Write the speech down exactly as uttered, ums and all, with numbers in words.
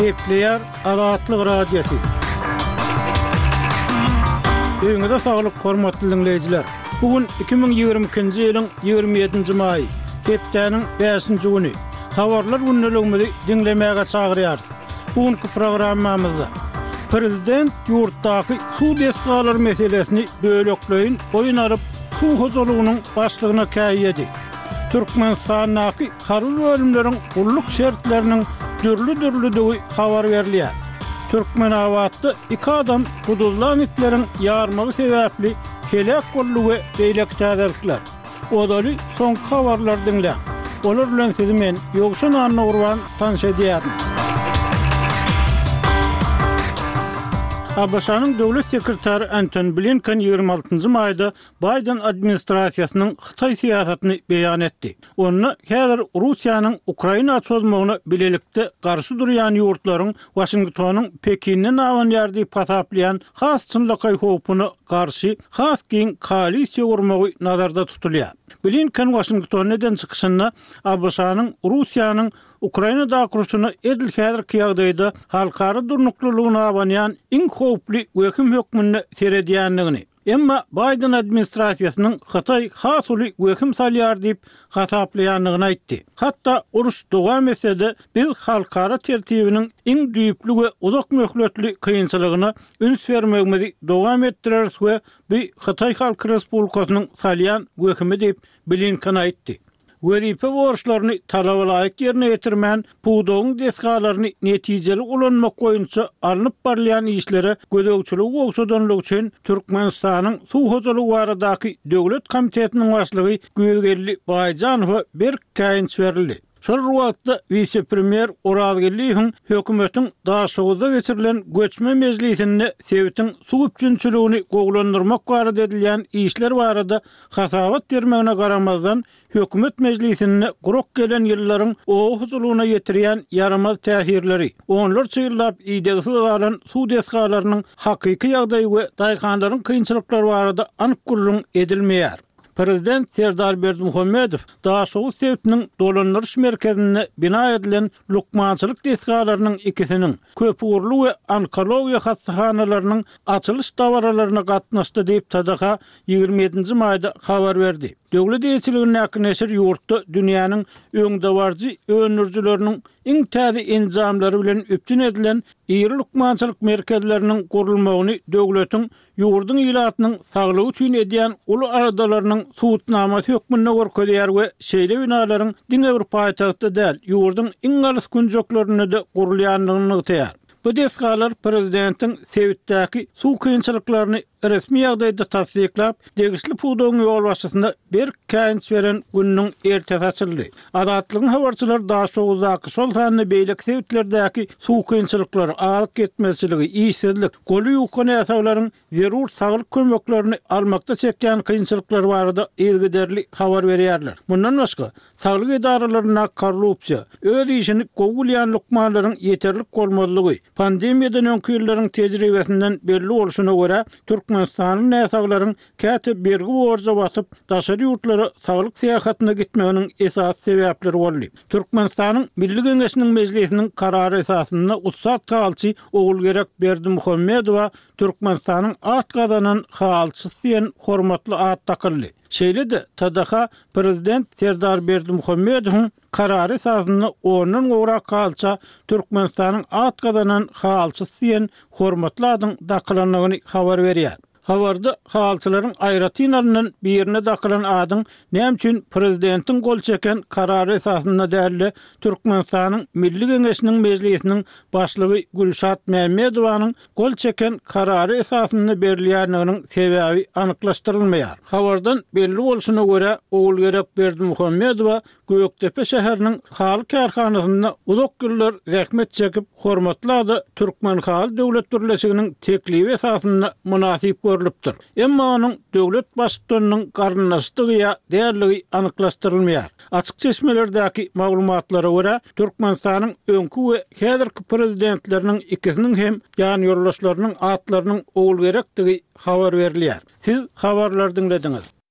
Gepleýär Azatlyk Radiosy. Öýüňize saglyk, hormatly diňleýjiler. Bu gün iki müň ýigrimi ikinji ýylyň ýigrimi ýedinji maýy, hepdäniň bäşinji güni. Habarlar gündeligimizi diňlemäge çagyrýarys. Bu günki programmamyzda Prezident ýurtdaky suw desgalary meselesini bölekleýin boýun alyp, suw hojalygynyň başlygyna käýedi. Türkmenistandaky harby bölümleriň gulluk şertleriniň dürli-dürlüdigi habar berilýär. Türkmenabatda iki adam guduzlan itleriň ýarmagy sebäpli heläk boldy we beýleki täzelikler. Ozaly soňky habarlary diňläň. Olar bilen sizi men, Ýowşan Annagurban tanyş edýärin. ABŞ-nyň Döwlet sekretary Antony Blinken ýigrimi altynjy maýda Baýden administrasiýasynyň Hytaý syýasatyny beýan etdi. Onda häzir Russiýanyň Ukraina çozmagyna bilelikde garşy durýan ýurtlaryň Waşingtonyň Pekinden abanýar diýip hasaplaýan has çynlakaý howpuna garşy has giň koalisiýa gurmagy nazarda tutulýar. Blinken Waşingtonda eden çykyşynda ABŞ-nyň Russiýanyň Ukrainadaky urşuna edil häzirki ýagdaýda halkara durnuklylygyna abanýan iň howply wehim hökmünde seredýändigini, emma Baýden administrasiýasynyň Hytaý has uly wehim salýar diýip hasaplaýandygyny aýtdy. Hatda uruş dowam etse-de, biz halkara tertibiniň iň düýpli we uzak möhletli kynçylygyna üns bermegimizi dowam etdireris we bu Hytaý Halk Respublikasynyň salýan wehimi diýip, Blinken aýtdy. Wezipe borçlaryny talabalaýyk ýerine ýetirmän, pudagyň desgalaryny netijeli ulanmak boýunça alnyp barylýan işlere gözegçiligi gowşadanlygy üçin Türkmenistanyň Suw hojalygy baradaky döwlet komitetiniň başlygy Güýzgeldi Baýjanowa berk käýinç berildi. Şol bir wagtda, wise-premýer Orazgeldiýewiň hökümetiň Daşoguzda geçirilen göçme mejlisinde sebitiň suw üpjünçiligini gowulandyrmak barada edilýän işler barada hasabat bermegine garamazdan, hökümet mejlisinde gurak gelen ýyllaryň oba hojalygyna ýetirýän ýaramaz täsirleri, onlarça ýyllap idegsiz galan suw desgalarynyň hakyky ýagdaýy we daýhanlaryň kynçylyklary barada anyk gürrüň edilmeýär. Prezident Serdar Berdimuhamedow Daşoguz sebitiniň dolandyryş merkezinde bina edilen lukmançylyk desgalarynyň ikisiniň, köpugurly we onkologiýa hassahanalarynyň açylyş dabaralaryna gatnaşdy diýip, T D H ýigrimi ýedinji maýda habar berdi. Döwlet eýeçiligindäki neşir ýurtda dünýäniň öňdebaryjy öndürijileriniň iň täze enjamlary bilen üpjün edilen iri lukmançylyk merkezleriniň gurulmagyny döwletiň ýurduň ilatynyň saglygy üçin edýän uly aladalarynyň subutnamasy hökmünde görkezýär we şeýle binalaryň diňe bir paýtagtda däl, ýurduň iň alys künjeklerinde-de gurulýandygyny nygtaýar. Bu desgalar prezidentiň sebitdäki suw kynçylyklaryny resmi ýagdaýda tassyklap, degişli pudagyň ýolbaşçysyna berk käýinç beren gününiň ertesi açyldy. Azatlygyň habarçylary Daşoguzdaky, şol sanda beýleki sebitlerdäki suw kynçylyklary, azyk ýetmezçiligi, işsizlik, goly ýuka näsaglaryň zerur saglyk kömeklerini almakda çekýän kynçylyklary barada yzygiderli habar berýärler. Mundan başga, saglyk edaralarynda korrupsiýa, öz işini gowy bilýän lukmanlaryň ýeterlik bolmazlygy, pandemiýadan öňki ýyllaryň tejribesinden belli bolşuna görä, Türkmenistanly näsaglaryň käte bergi borja batyp, daşary ýurtlara saglyk syýahatyna gitmeginiň esasy sebäpleri boldy. Türkmenistanyň Milli Geňeşiniň Mejlisiniň karary esasynda ussat halyçy Ogulgerek Berdimuhamedowa Türkmenistanyň at gazanan halyçysy diýen hormatly at dakyldy. Şeýle-de T D H Prezident Serdar Berdimuhamedowyň karary esasynda ondan gowrak halyça Türkmenistanyň at gazanan halyçysy diýen hormatly adyň dakylandygyny habar berýär. Habarda halyçylaryň aýratyn alnan birine dakylan adyň näme üçin prezidentiň gol çeken karary esasynda däl-de, Türkmenistanyň Milli Geňeşiniň Mejlisiniň Başlygy Gülşat Mämmedowanyň gol çeken karary esasynda berilýändiginiň sebäbi anyklaşdyrylmaýar. Habardan belli bolşuna görä, Ogulgerek Berdimuhamedowa Gökdepe şäheriniň haly kärhanasynda uzak ýyllar zähmet çekip, hormatly ada Türkmenhaly döwlet birleşiginiň teklibi esasynda mynasyp görlüpdir. Emma onuň döwlet baştutanynyň garyndaşdygy ýa däldigi anyklaşdyrylmaýar. Açyk çeşmelerdäki maglumatlara görä, Türkmenistanyň öňki we häzirki prezidentleriniň ikisiniň hem ýanýoldaşlarynyň atlarynyň Ogulgerekdigi habar berilýär. Siz habarlary diňlediňiz.